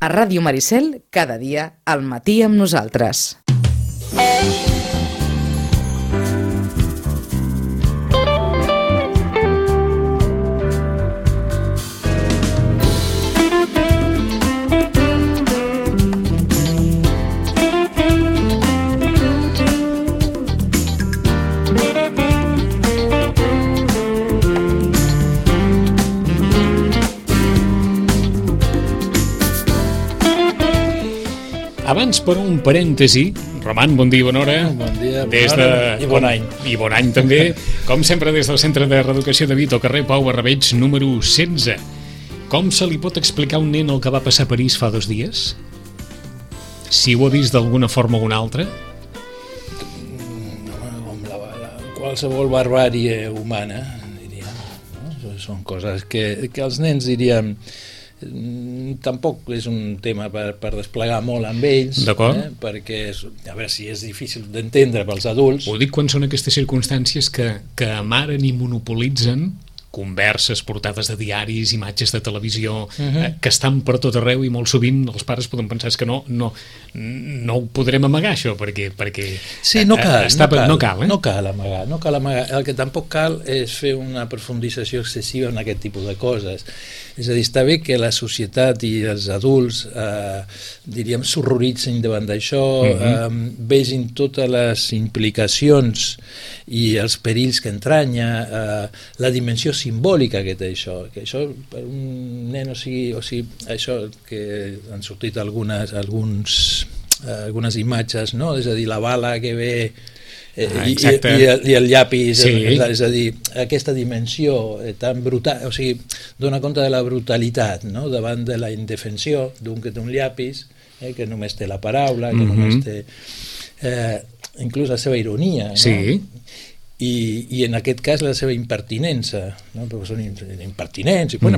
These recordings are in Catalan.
A Ràdio Maricel, cada dia, al matí amb nosaltres. Abans, per un parèntesi, Roman, bon dia i bona hora. Bon dia, bona hora i bon any. I bon any també. Com sempre, des del Centre de Reeducació de Vito, carrer Pau Barrabeig, número 16. Com se li pot explicar a un nen el que va passar a París fa 2 dies? Si ho ha vist d'alguna forma o una altra? Qualsevol barbàrie humana, diríem. No? Són coses que els nens, diríem, tampoc és un tema per desplegar molt amb ells, perquè a veure si és difícil d'entendre pels adults. Ho dic quan són aquestes circumstàncies que amaren i monopolitzen converses, portades de diaris, imatges de televisió, que estan per tot arreu i molt sovint els pares poden pensar que no ho podrem amagar, això, perquè sí, no cal amagar. El que tampoc cal és fer una profundització excessiva en aquest tipus de coses. És a dir, està bé que la societat i els adults, diríem, s'horroritzin davant d'això, vegin totes les implicacions i els perills que entranya, la dimensió simbòlica que té això, que per un nen, o sigui, això que han sortit algunes imatges, no? És a dir, la bala que ve i el llapis, sí. És a dir, aquesta dimensió tan brutal, o sigui, dona compte de la brutalitat, no? Davant de la indefensió d'un que té un llapis, que només té la paraula, que només té inclús la seva ironia, no? Sí. I en aquest cas la seva impertinença, no? Perquè són impertinents, i bueno,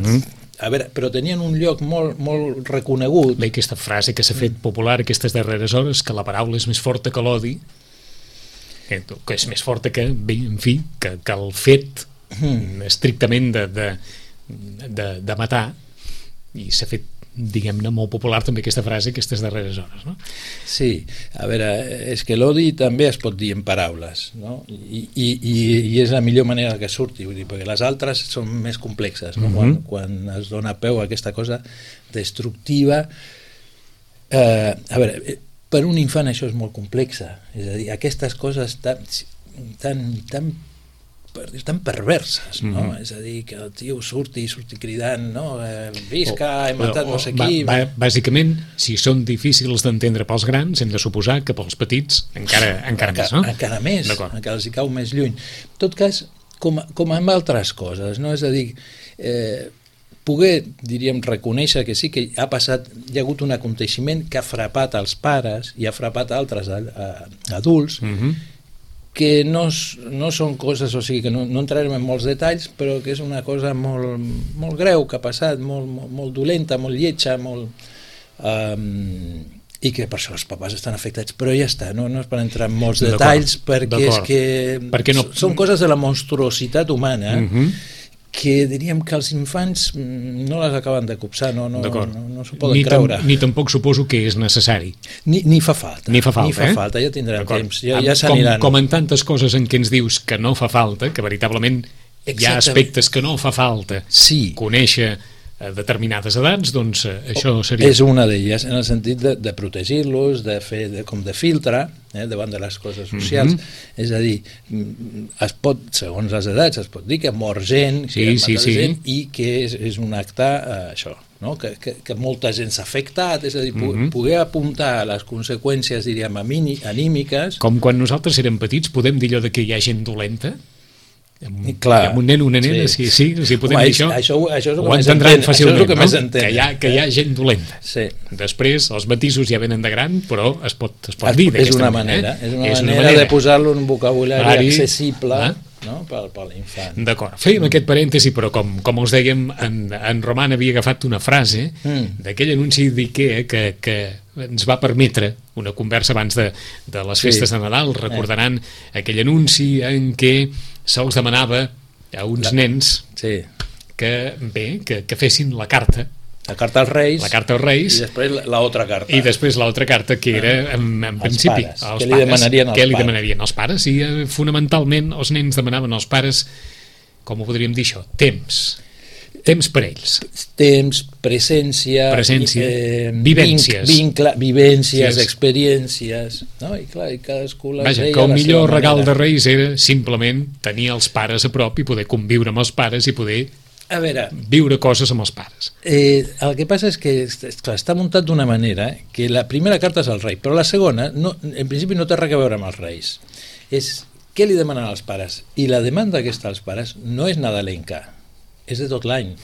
a veure, però tenien un lloc molt, molt reconegut. Bé, aquesta frase que s'ha fet popular aquestes darreres hores, que la paraula és més forta que l'odi, que és més forta que, bé, en fi, que el fet estrictament de matar, i s'ha fet, diguem-ne, molt popular també aquesta frase aquestes darreres hores, no? Sí, a veure, és que l'odi també es pot dir en paraules, no? I és la millor manera que surti, vull dir, perquè les altres són més complexes, no? Quan es dona peu a aquesta cosa destructiva, a veure, per un infant això és molt complexa, és a dir, aquestes coses tan perverses, no? És a dir, que el tio surti cridant, no? Visca, he matat no sé qui. Bàsicament, si són difícils d'entendre pels grans, hem de suposar que pels petits encara més, no? Encara més, encara els hi cau més lluny. En tot cas, com amb altres coses, no? És a dir, poder, diríem, reconèixer que sí que ha hi ha hagut un aconteixement que ha frapat els pares i ha frapat altres adults, que no són coses, o sigui, que no entrarem en molts detalls, però que és una cosa molt, molt greu que ha passat, molt dolenta, molt lletja, i que per això els papàs estan afectats, però ja està, no és per entrar en molts detalls, perquè és que són coses de la monstruositat humana, que diríem que els infants no les acaben de copsar, no s'ho poden creure. Ni tampoc suposo que és necessari. Ni fa falta. Ni fa falta, ja tindrem temps, ja s'aniran. Com en tantes coses en què ens dius que no fa falta, que veritablement hi ha aspectes que no fa falta conèixer determinades edats, doncs això seria... És una d'elles, en el sentit de protegir-los, de fer com de filtre davant de les coses socials. És a dir, segons les edats, es pot dir que mor gent, gent, i que és un acte, això, no? Que molta gent s'ha afectat, és a dir, poder apuntar a les conseqüències, diríem, anímiques... Com quan nosaltres érem petits, podem dir allò de que hi ha gent dolenta? Amb un nen o una nena, si podem dir això, ho entendran fàcilment, que hi ha gent dolenta. Després els matisos ja venen de gran, però es pot dir d'aquesta manera. És una manera de posar-lo en un vocabulari accessible per l'infant. D'acord, fèiem aquest parèntesi, però com us dèiem, en Roman havia agafat una frase d'aquell anunci d'IKEA que ens va permetre una conversa abans de les festes de Nadal. Recordaran aquell anunci en què se'ls demanava a uns nens que fessin la carta La carta als Reis. La carta als Reis. I després l'altra carta. I després l'altra carta, que era, en principi, pares. Què li demanarien als pares? I fonamentalment els nens demanaven als pares, com ho podríem dir això, temps per ells. Temps, presència, vivències, experiències, no? I clar, i cadascú les Vaja, deia que el a la millor seva regal manera. de Reis era simplement tenir els pares a prop i poder conviure amb els pares i poder A veure, viure coses amb els pares. el que passa és que clar, està muntat d'una manera que la primera carta és al rei, però la segona, no, en principi no té res a veure amb els reis. És què li demanen als pares? I la demanda que està als pares no és nadalenca, és de tot l'any.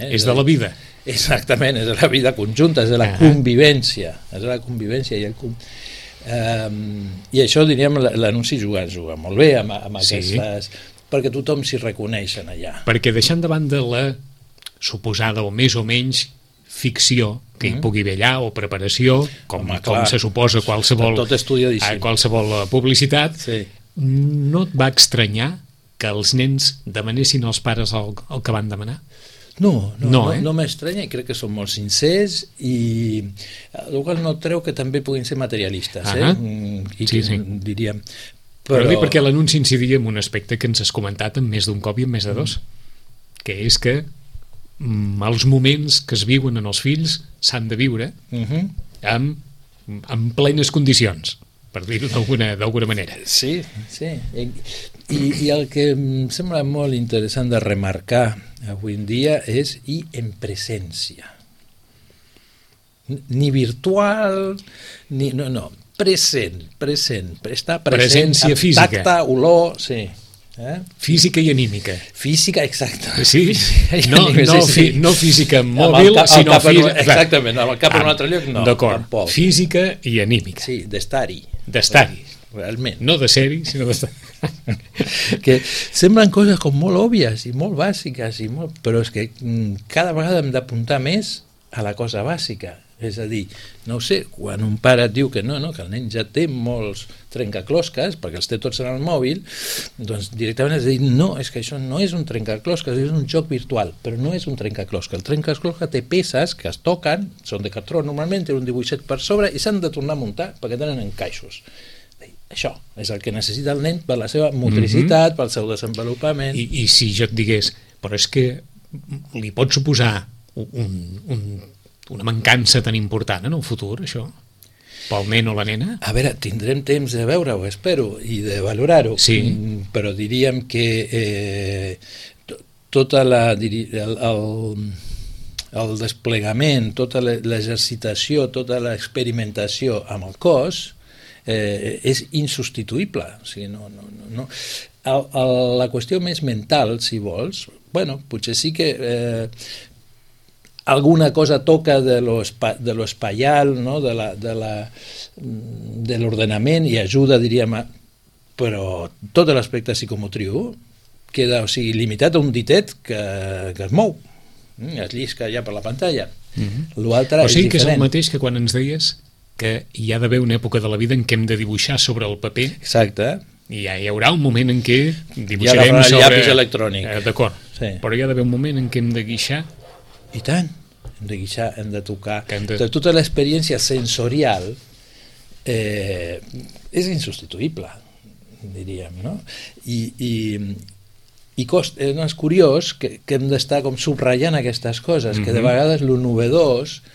És de la vida. Exactament, és de la vida conjunta, és de la convivència. És de la convivència i això, diríem, l'anunci juga molt bé amb aquestes... perquè tothom s'hi reconeix en allà. Perquè deixant de banda la suposada o més o menys ficció que hi pugui haver allà, o preparació, com se suposa qualsevol publicitat, no et va estranyar que els nens demanessin als pares el que van demanar? No m'estranya, i crec que són molt sincers, i el qual no treu que també puguin ser materialistes, diríem. Però dir perquè l'anunci incidia en un aspecte que ens has comentat en més d'un cop i en més de dos, que és que els moments que es viuen en els fills s'han de viure en plenes condicions, per dir-ho d'alguna manera. Sí. I el que em sembla molt interessant de remarcar avui en dia és i en presència. Ni virtual, ni... No, present, està present, presència física, tacte, olor, física i anímica. Física, exacte. Sí? No física mòbil, sinó física... Exactament, amb el cap en un altre lloc no. D'acord, física i anímica. Sí, d'estar-hi. Realment. No de ser-hi, sinó d'estar. Que semblen coses com molt òbvies i molt bàsiques, però és que cada vegada hem d'apuntar més a la cosa bàsica. És a dir, no ho sé, quan un pare et diu que que el nen ja té molts trencaclosques, perquè els té tots en el mòbil, doncs directament has de dir, no, és que això no és un trencaclosques, és un joc virtual, però no és un trencaclosques. El trencaclosques té peces que es toquen, són de cartró normalment, té un dibuixet per sobre i s'han de tornar a muntar perquè tenen encaixos. Això és el que necessita el nen per la seva motricitat, pel seu desenvolupament. I si jo et digués, però és que li pot suposar una mancança tan important en el futur, això, pel nen o la nena? A veure, tindrem temps de veure-ho, espero, i de valorar-ho, però diríem que tota el desplegament, tota l'exercitació, tota l'experimentació amb el cos és insubstituïble. O sigui, no. La qüestió més mental, si vols, potser sí que alguna cosa toca de lo espaial, no? de l'ordenament i ajuda, diríem, però tot l'aspecte psicomotriu queda, limitat a un ditet que es mou, es llisca ja per la pantalla. L'altre és diferent. Que és el mateix que quan ens deies que hi ha d'haver una època de la vida en què hem de dibuixar sobre el paper. Exacte. I hi haurà un moment en què dibuixarem sobre... el llapis electrònic. D'acord, però hi ha d'haver un moment en què hem de guixar. I tant, hem de guixar, hem de tocar. Tota l'experiència sensorial és insubstituïble, diríem, no? I és curiós que hem d'estar com subratllant aquestes coses, que de vegades lo novedós,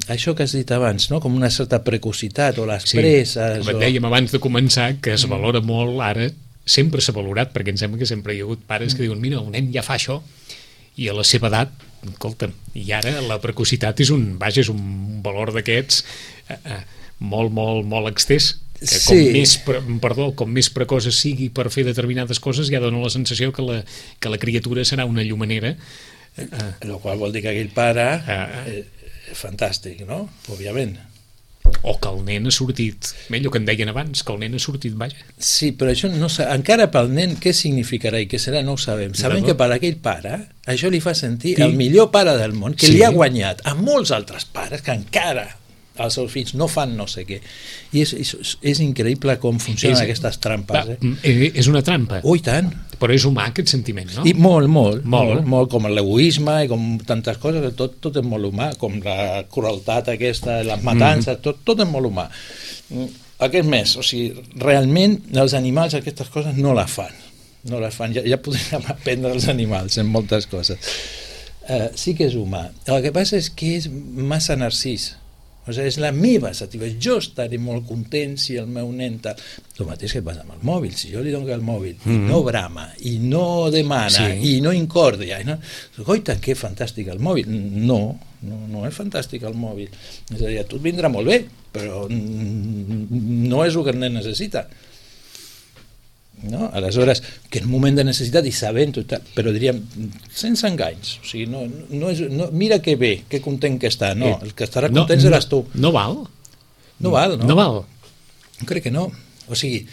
això que has dit abans, no? Com una certa precocitat o les presses. Com et dèiem abans de començar, que es valora molt ara, sempre s'ha valorat, perquè em sembla que sempre hi ha hagut pares que diuen, mira, el nen ja fa això, i a la seva edat, escolta'm, i ara la precocitat és un valor d'aquests molt, molt, molt extès, que com més precoç sigui per fer determinades coses, ja dona la sensació que la criatura serà una llumanera. El qual vol dir que aquell pare fantàstic, no? Òbviament. O que el nen ha sortit, allò que en deien abans, que el nen ha sortit, vaja. Sí, però això no encara pel nen què significarà i què serà no ho sabem. Sabem que per aquell pare això li fa sentir el millor pare del món, que li ha guanyat a molts altres pares que encara als seus fills no fan no sé què. I és increïble com funcionen aquestes trampes. És una trampa. Oh, i tant. Però és humà aquest sentiment, no? I molt, com l'egoisme i com tantes coses, tot és molt humà, com la crueltat aquesta, les matances, tot és molt humà. Aquest més, o sigui, realment els animals aquestes coses no les fan. Ja podríem aprendre els animals en moltes coses. Sí que és humà. El que passa és que és massa narcís. O sigui, és la meva satisfacció. Jo estaré molt content si el meu nen tal. El mateix que passa amb el mòbil. Si jo li dono el mòbil i no brama, i no demana, i no incordia, goita, que fantàstic el mòbil. No és fantàstic el mòbil. És a dir, a tu et vindrà molt bé, però no és el que el nen necessita. No? Aleshores, que en un moment de necessitat i sabent-ho, però diríem sense enganys, o sigui, mira que bé, que content que està, no, el que estarà content seràs tu. No val? No val. Crec que no, o sigui,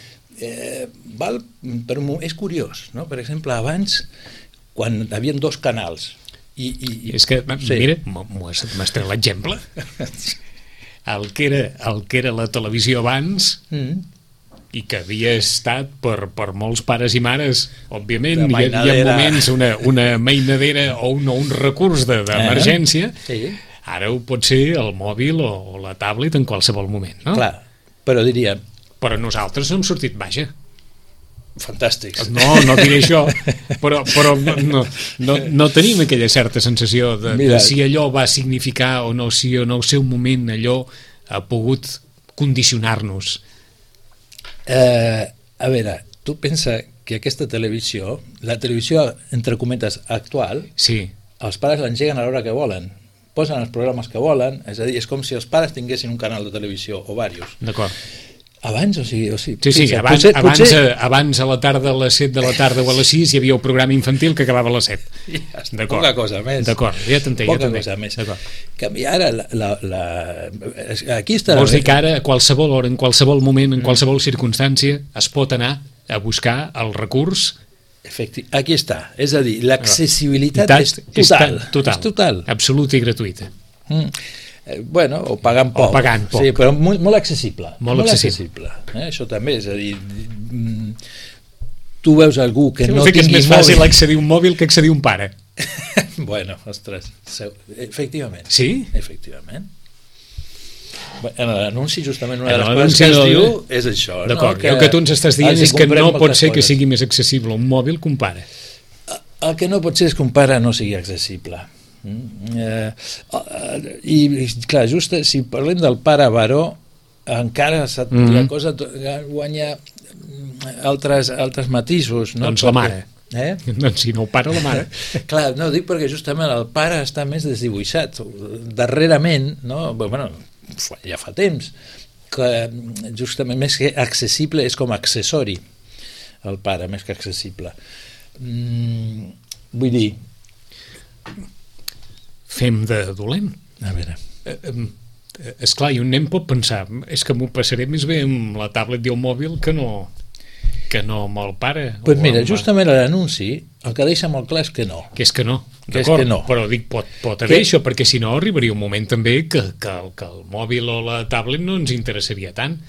val, però és curiós, no? Per exemple, abans, quan hi havia 2 canals és que, mira, m'has tret l'exemple el que era la televisió abans i que havia estat per molts pares i mares, òbviament hi ha moments una mainadera o un recurs d'emergència, ara ho pot ser el mòbil o la tablet en qualsevol moment, no? Clar, però nosaltres no hem sortit, vaja, fantàstics. No diré això, però no tenim aquella certa sensació de si allò va significar o no, si o no el seu moment allò ha pogut condicionar-nos. A veure, tu pensa que aquesta televisió, la televisió entre cometes actual, els pares l'engeguen a l'hora que volen, posen els programes que volen, és a dir, és com si els pares tinguessin un canal de televisió o diversos. D'acord. Abans, o sigui... Abans a la tarda, a les 7 de la tarda o a les 6 hi havia un programa infantil que acabava a les 7. Poca cosa més. D'acord, ja t'entenc. Poca cosa més. Ara, aquí està... Vols dir que ara, a qualsevol hora, en qualsevol moment, en qualsevol circumstància, es pot anar a buscar el recurs... Aquí està. És a dir, l'accessibilitat és total. És total. Absoluta i gratuïta. Bueno, o pagant poc. Sí, però molt accessible. Molt accessible. Això també, és a dir, tu veus algú que no tingui mòbil... que és més fàcil accedir a un mòbil que accedir a un pare. Bueno, ostres, efectivament. Sí? Efectivament. En l'anunci, justament, una de les coses que es diu és això. D'acord, el que tu ens estàs dient és que no pot ser que sigui més accessible un mòbil que un pare. El que no pot ser és que un pare no sigui accessible. I clar, just si parlem del pare baró, encara la cosa guanya altres matisos, no? Doncs la mare. Doncs si no el pare, la mare. Clar, no, dic perquè justament el pare està més desdibuixat darrerament, no? Bueno, ja fa temps que justament més que accessible és com accessori el pare, més que accessible. Vull dir, fem de dolent. A veure. Esclar, i un nen pot pensar, és que m'ho passaré més bé amb la tablet i el mòbil que no amb el pare. Pues mira, justament l'anunci el que deixa molt clar és que no. Que és que no, d'acord, però dic, pot haver això, perquè si no arribaria un moment també que el mòbil o la tablet no ens interessaria tant.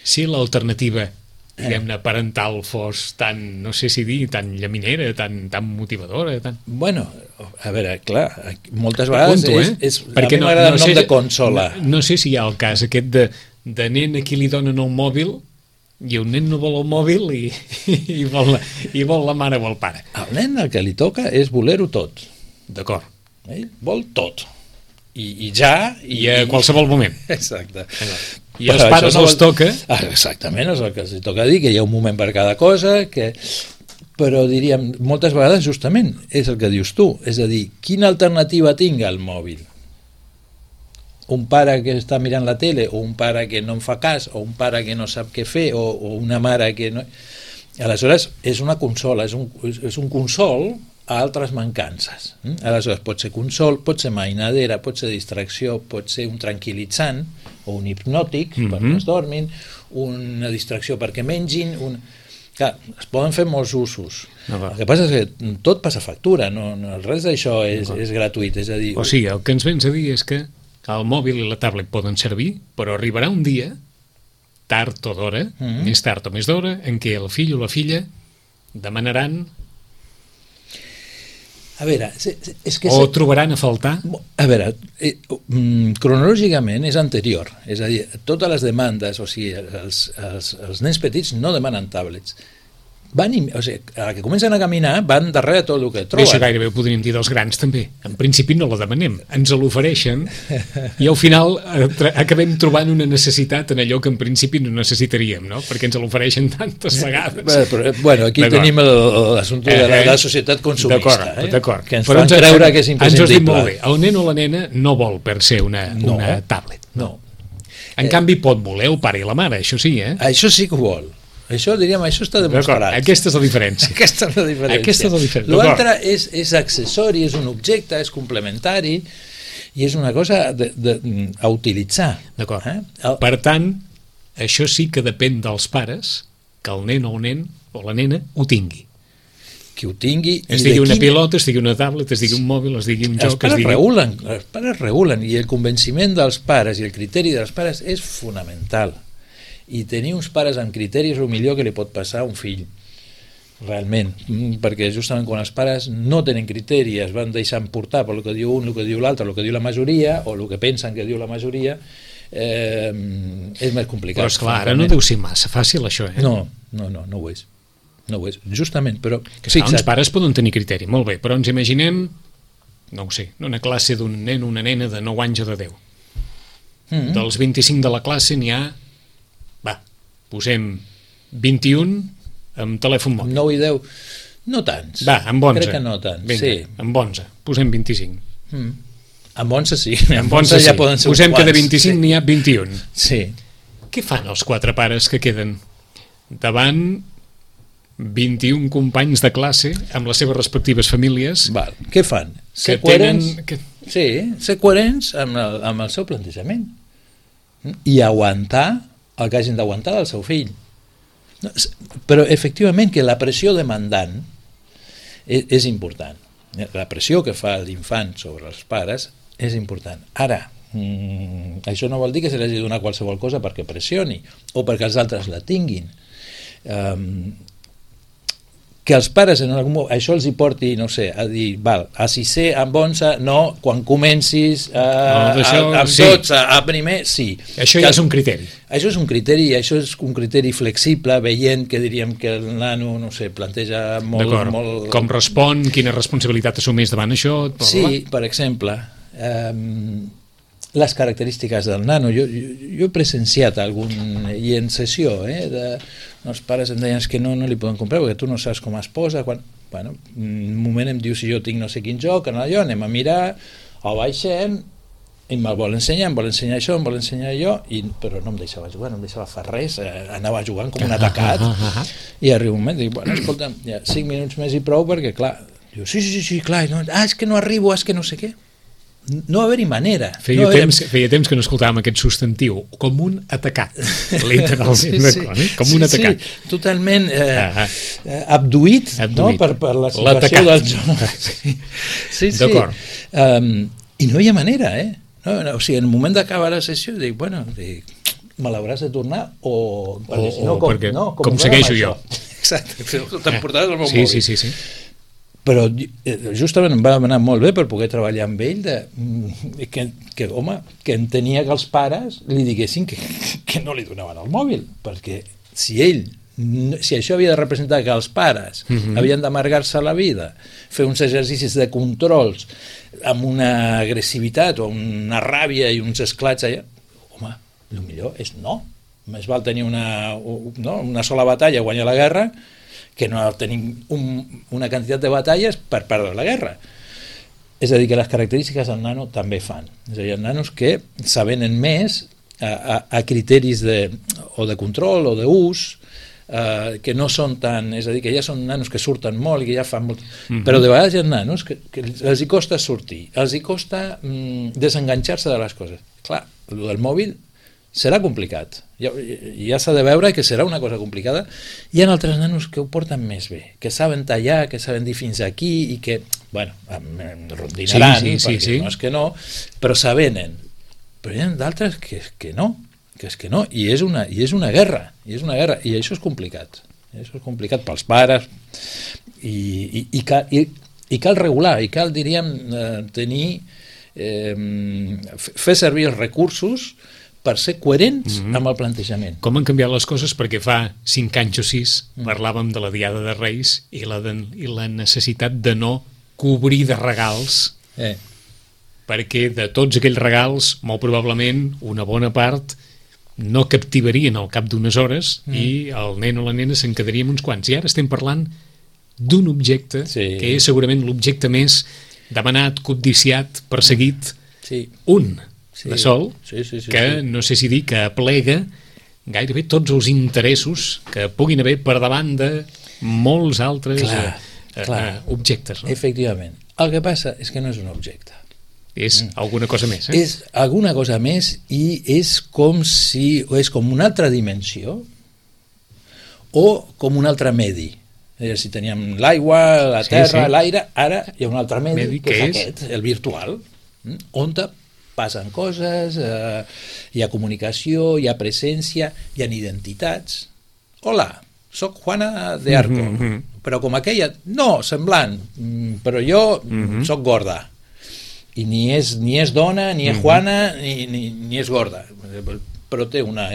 Si l'alternativa diguem-ne parental fos tan, no sé si dir, tan llaminera, tan motivadora, tan... Bueno, a veure, clar, moltes vegades a mi m'agrada el nom de consola. No sé si hi ha el cas aquest de nen a qui li donen el mòbil i un nen no vol el mòbil i vol la mare o el pare. El nen el que li toca és voler-ho tot. D'acord. Ell vol tot. I ja... I a qualsevol moment. Exacte. I als pares els toca... Exactament, és el que els toca dir, que hi ha un moment per cada cosa, però diríem, moltes vegades justament és el que dius tu, és a dir, quina alternativa tinc al mòbil? Un pare que està mirant la tele, o un pare que no em fa cas, o un pare que no sap què fer, o una mare que no... Aleshores, és una consola, és un consol a altres mancances. Aleshores, pot ser consol, pot ser mainadera, pot ser distracció, pot ser un tranquil·litzant o un hipnòtic perquè es dormin, una distracció perquè mengin... Clar, es poden fer molts usos. El que passa és que tot passa factura, no res d'això és gratuït. És a dir, o sigui, el que ens vens a dir és que el mòbil i la tablet poden servir, però arribarà un dia, tard o d'hora, més tard o més d'hora, en què el fill o la filla demanaran a veure, és que... o trobaran a faltar. A veure, cronològicament és anterior, és a dir, totes les demandes, o sigui, els nens petits no demanen tablets. O sigui, a la que comencen a caminar van darrere tot el que troben. Això gairebé ho podríem dir dels grans també. En principi no la demanem, ens l'ofereixen i al final acabem trobant una necessitat en allò que en principi no necessitaríem, no? Perquè ens l'ofereixen tantes vegades. Bueno, aquí tenim l'assumpte de la societat consumista, d'acord. Que ens fan creure que és imprescindible. Ens has dit molt bé, el nen o la nena no vol per ser una tablet. No. En canvi pot voler el pare i la mare, això sí, Això sí que ho vol. Això, diríem, això està demostrat. Aquesta és la diferència. Aquesta és la diferència. L'altre és accessori, és un objecte, és complementari i és una cosa a utilitzar. D'acord. Per tant, això sí que depèn dels pares que el nen o la nena ho tingui. Que ho tingui... Es digui una pilota, es digui una tablet, es digui un mòbil, es digui un joc... Els pares regulen i el convenciment dels pares i el criteri dels pares és fonamental. I tenir uns pares amb criteris és el millor que li pot passar a un fill, realment, perquè justament quan els pares no tenen criteri, es van deixant portar per el que diu un, el que diu l'altre, el que diu la majoria, o el que pensen que diu la majoria, és més complicat. Però esclar, ara no deu ser massa fàcil això, No ho és. No ho és, justament, però... Els pares poden tenir criteri, molt bé, però ens imaginem, no ho sé, una classe d'un nen o una nena de 9 anys o de 10. Dels 25 de la classe n'hi ha, posem 21 amb telèfon mòbil. 9 i 10, no tants. Va, amb 11. Crec que no tants, vinga, sí. Amb 11, posem 25. Amb 11 sí. Amb 11 ja poden ser posem que de 25 n'hi ha 21. Sí. Què fan els 4 pares que queden davant 21 companys de classe amb les seves respectives famílies? Val. Què fan? Ser coherents? Sí, ser coherents amb el seu plantejament i aguantar el que hagin d'aguantar del seu fill. Però efectivament que la pressió demandant és important. La pressió que fa l'infant sobre els pares és important. Ara, això no vol dir que se li hagi de donar qualsevol cosa perquè pressioni o perquè els altres la tinguin. Que els pares en algun moment això els hi porti, no sé, a dir, val, a 6è, amb 11, no, quan comencis amb 12, a primer, sí. Això ja és un criteri. Això és un criteri, això és un criteri flexible, veient que diríem que el nano, no sé, planteja molt... Com respon, quina responsabilitat assumeix davant això... Sí, per exemple, les característiques del nano. Jo he presenciat algun, i en sessió, els pares em deien que no li poden comprar perquè tu no saps com es posa. Bueno, un moment em diu si jo tinc no sé quin joc, anem a mirar, el baixem, i me'l vol ensenyar, em vol ensenyar això, em vol ensenyar allò, però no em deixava jugar, no em deixava fer res, anava jugant com un atacat, i arriba un moment, dic, bueno, escolta, ja 5 minuts més i prou, perquè clar, diu, sí, clar, és que no arribo, és que no sé què. No haver-hi manera. Feia temps que no escoltàvem aquest substantiu, com un atacat, literalment, com un atacat. Sí, totalment abduït, no? Per la situació del joc. Sí. D'acord. I no hi ha manera, O sigui, en el moment d'acabar la sessió dic, bueno, me l'hauràs de tornar o com segueixo jo. Exacte, t'emportaràs al meu mòbil. Sí. Però justament em va anar molt bé per poder treballar amb ell que entenia que els pares li diguessin que no li donaven el mòbil, perquè si això havia de representar que els pares havien d'amargar-se la vida, fer uns exercicis de controls amb una agressivitat o una ràbia i uns esclats allà, el millor és no. Més val tenir una sola batalla, guanyar la guerra, que no tenim una quantitat de batalles per perdre la guerra. És a dir, que les característiques del nano també fan. És a dir, hi ha nanos que s'avenen més a criteris de control o d'ús, que no són tan... És a dir, que ja són nanos que surten molt i que ja fan molt... Però de vegades hi ha nanos que els hi costa sortir, els hi costa desenganxar-se de les coses. Clar, el del mòbil serà complicat. Ja s'ha de veure que serà una cosa complicada. Hi ha altres nanos que ho porten més bé, que saben tallar, que saben dir fins aquí i que, bueno, rondinaran, sí. No és que no, però s'avenen. però hi ha d'altres que no, i és una guerra, i això és complicat. Això és complicat pels pares, i cal regular, i cal, diríem, tenir, fer servir els recursos per ser coherents amb el plantejament. Com han canviat les coses? Perquè fa 5 anys o 6 parlàvem de la Diada de Reis i la necessitat de no cobrir de regals, perquè de tots aquells regals, molt probablement, una bona part no captivarien al cap d'unes hores i el nen o la nena se'n quedaria amb uns quants. I ara estem parlant d'un objecte que és segurament l'objecte més demanat, codiciat, perseguit, un de sol, que no sé si dir que aplega gairebé tots els interessos que puguin haver per davant de molts altres objectes. No? Efectivament. El que passa és que no és un objecte. És alguna cosa més. És alguna cosa més i és com una altra dimensió o com un altre medi. Si teníem l'aigua, la terra, l'aire, ara hi ha un altre medi que és aquest, el virtual, on passen coses, hi ha comunicació, hi ha presència, hi ha identitats. Hola, soc Juana de Arco, però com aquella, no, semblant, però jo soc gorda. I ni és dona, ni és Juana, ni és gorda, però té una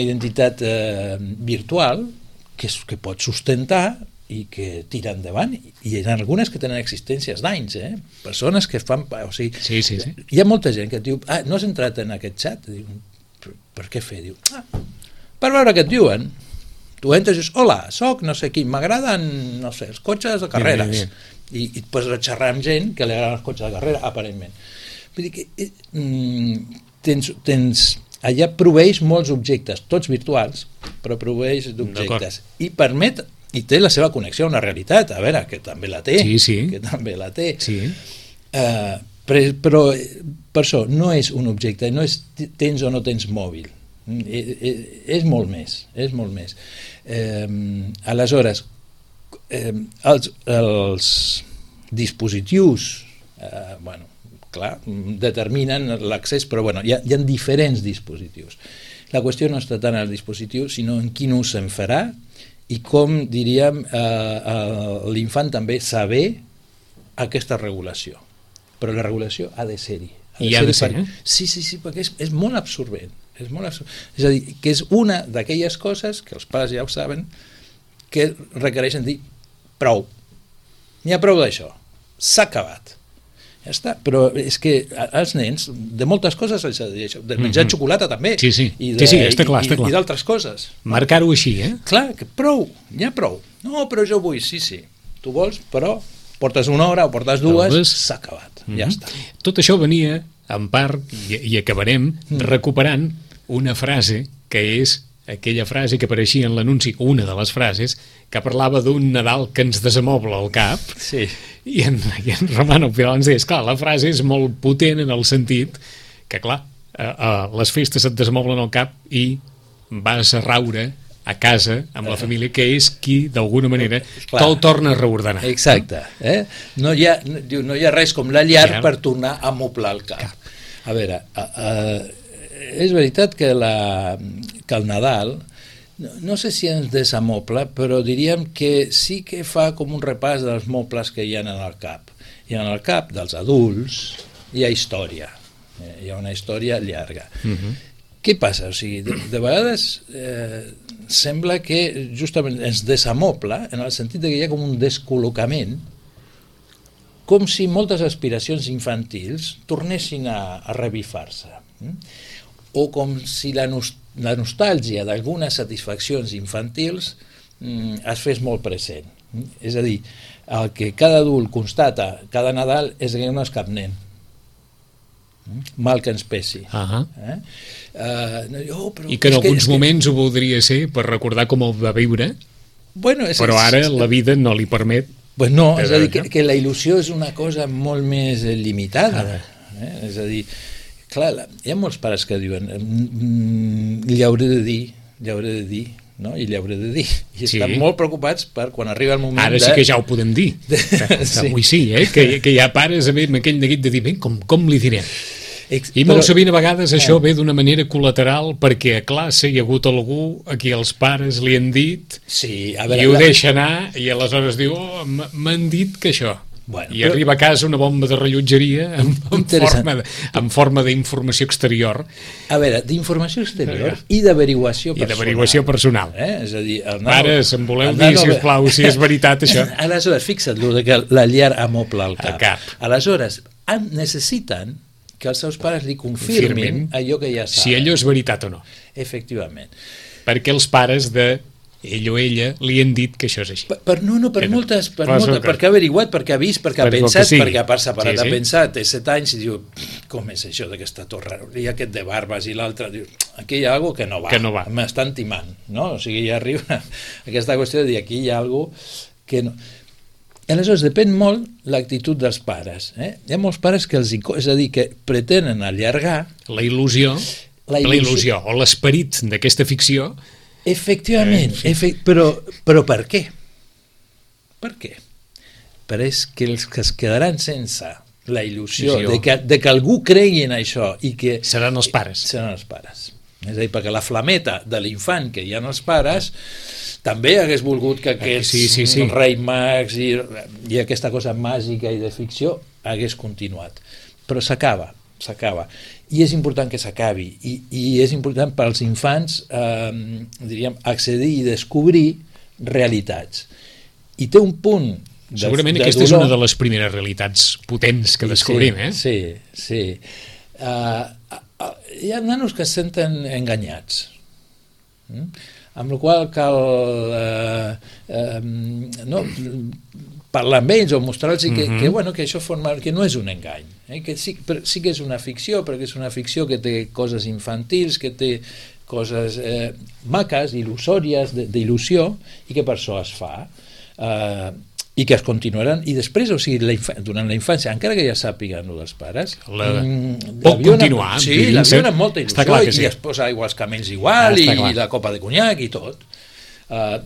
identitat virtual que pot sustentar i que tira endavant, i hi ha algunes que tenen existències d'anys, persones que fan... O sigui, hi ha molta gent que et diu, no has entrat en aquest xat? Diu, per què fer? Diu, per veure què et diuen. Tu entres i dius, hola, soc no sé qui, m'agraden, no sé, els cotxes de carreres. I et pots xerrar amb gent que li agraden els cotxes de carrera, aparentment. Vull dir que allà proveeix molts objectes, tots virtuals, però proveeix d'objectes. I permet, i té la seva connexió a una realitat, a veure, que també la té, que també la té. Però per això no és un objecte, no és tens o no tens mòbil. És molt més, és molt més. Aleshores, els dispositius, clar, determinen l'accés, però hi ha diferents dispositius. La qüestió no està tant en el dispositiu, sinó en quin ús se'n farà i com, diríem, l'infant també saber aquesta regulació. Però la regulació ha de ser-hi. I ha de ser, Sí, perquè és molt absorbent. És a dir, que és una d'aquelles coses que els pares ja ho saben, que requereixen dir prou. N'hi ha prou d'això. S'ha acabat. Ja està, però és que els nens de moltes coses s'ha de dir això, de menjar xocolata també, i d'altres coses. Marcar-ho així, Clar, que prou, n'hi ha prou. No, però jo vull, sí, tu vols, però portes una hora o portes dues, s'ha acabat, ja està. Tot això venia, en part, i acabarem recuperant una frase que és aquella frase que apareixia en l'anunci, una de les frases, que parlava d'un Nadal que ens desamobla el cap, i en Romano Pilar ens deia, clar, la frase és molt potent en el sentit que, clar, les festes et desamoblen el cap i vas a raure a casa amb la família, que és qui, d'alguna manera, te'l torna a reordenar. Exacte. No hi ha res com la llar per tornar a moblar el cap. A veure, és veritat que el Nadal, no sé si ens desamobla, però diríem que sí que fa com un repàs dels mobles que hi ha en el cap. I en el cap dels adults hi ha història, hi ha una història llarga. Què passa? O sigui, de vegades sembla que justament ens desamobla en el sentit que hi ha com un descol·locament, com si moltes aspiracions infantils tornessin a revifar-se. O com si la nostàlgia d'algunes satisfaccions infantils es fes molt present. És a dir, el que cada adult constata cada Nadal és que no és cap nen. Mal que ens pesi. I que en alguns moments ho voldria ser per recordar com ho va viure, però ara la vida no li permet. No, és a dir, que la il·lusió és una cosa molt més limitada. És a dir, clar, hi ha molts pares que diuen li hauré de dir, no? I li hauré de dir. I estan molt preocupats per quan arriba el moment Ara sí que ja ho podem dir. Avui sí, que hi ha pares amb aquell neguit de dir, com li direm? I molt sovint a vegades això ve d'una manera col·lateral perquè a classe hi ha hagut algú a qui els pares li han dit sí, a veure, i ho deixa anar i aleshores diu m'han dit que això. Bueno, i arriba a casa una bomba de rellotgeria en forma d'informació exterior. A veure, d'informació exterior i d'averiguació personal. I d'averiguació personal. És a dir, pares, em voleu dir, sisplau, si és veritat això? Aleshores, fixa't, que la llar amobla al cap. Aleshores, necessiten que els seus pares li confirmin allò que ja saben. Si allò és veritat o no. Efectivament. Perquè els pares de ell o ella li han dit que això és així. Perquè ha averiguat, perquè ha vist, perquè ha pensat, perquè a part s'ha parat a pensar, té 7 anys i diu, com és això d'aquesta torre? I aquest de barbes i l'altre, diu, aquí hi ha alguna que no va. M'estan timant, no? O sigui, ja arriba aquesta qüestió de dir, aquí hi ha alguna que no... Aleshores, depèn molt l'actitud dels pares. Hi ha molts pares que és a dir, que pretenen allargar... La il·lusió o l'esperit d'aquesta ficció. Efectivament, però per què? Per què? Perquè els que es quedaran sense la il·lusió de que algú cregui en això i que... Seran els pares. Seran els pares. És a dir, perquè la flameta de l'infant que hi ha els pares també hagués volgut que aquests rei mags i aquesta cosa màgica i de ficció hagués continuat. Però s'acaba. I és important que s'acabi i és important per als infants diríem, accedir i descobrir realitats i té un punt segurament aquesta és una de les primeres realitats potents que descobrim. Sí. Hi ha nanos que es senten enganyats amb la qual cal parlar amb ells o mostrar-los que això que no és un engany, que sí que és una ficció, perquè és una ficció que té coses infantils, que té coses maques, il·lusòries, d'il·lusió, i que per això es fa, i que es continuaran, i després, o sigui, durant la infància, encara que ja sàpiguen dels pares, pot continuar. Sí, la viuen amb molta il·lusió, i es posa aigua als camells igual, i la copa de conyac i tot.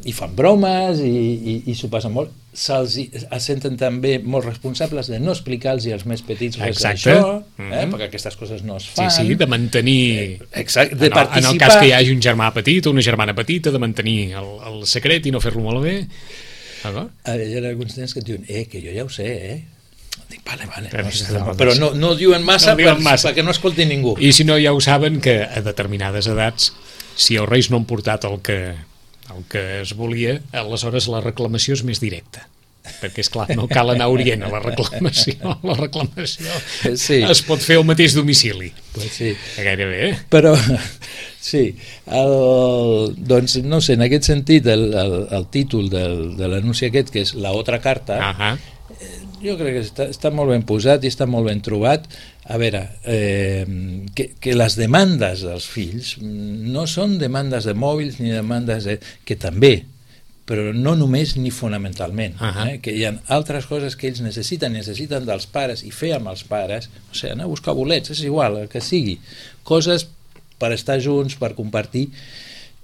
I fan bromes i s'ho passen molt, es senten també molt responsables de no explicar-los als més petits res d'això, perquè aquestes coses no es fan. Sí, de mantenir de participar. En el cas que hi hagi un germà petit o una germana petita, de mantenir el secret i no fer-lo malbé. Hi ha alguns nens que et diuen que jo ja ho sé, dic, vale, però no diuen massa perquè no escolti ningú. I si no, ja ho saben que a determinades edats, si els reis no han portat el que es volia, aleshores la reclamació és més directa, perquè és clar, no cal anar a Orient a la reclamació es pot fer al mateix domicili, gairebé. Però sí, doncs no sé, en aquest sentit el títol de l'anunci aquest, que és La otra carta, jo crec que està molt ben posat i està molt ben trobat. A veure, que les demandes dels fills no són demandes de mòbils ni demandes que també, però no només ni fonamentalment, que hi ha altres coses que ells necessiten dels pares i fer amb els pares, o sigui, anar a buscar bolets, és igual, el que sigui, coses per estar junts, per compartir,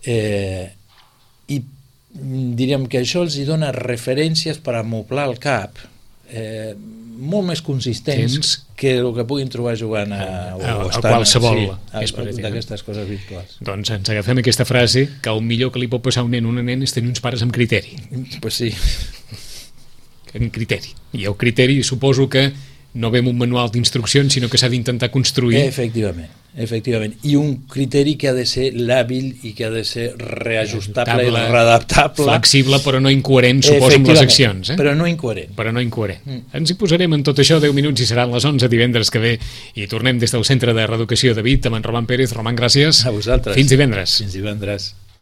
i diríem que això els hi dona referències per amoblar el cap, molt més consistents que el que puguin trobar jugant a qualsevol d'aquestes coses virtuals. Doncs ens agafem aquesta frase, que el millor que li pot passar a un nen o una nena és tenir uns pares amb criteri. Pues sí. En criteri. I el criteri suposo que no ve amb un manual d'instruccions, sinó que s'ha d'intentar construir. Efectivament. I un criteri que ha de ser làbil i que ha de ser reajustable i readaptable. Flexible, però no incoherent, suposo, amb les accions. Però no incoherent. Ens hi posarem en tot això 10 minuts i seran les 11 divendres que ve i tornem des del Centre de Reeducació de Vic amb en Roman Pérez. Roman, gràcies. A vosaltres. Fins divendres. Fins divendres.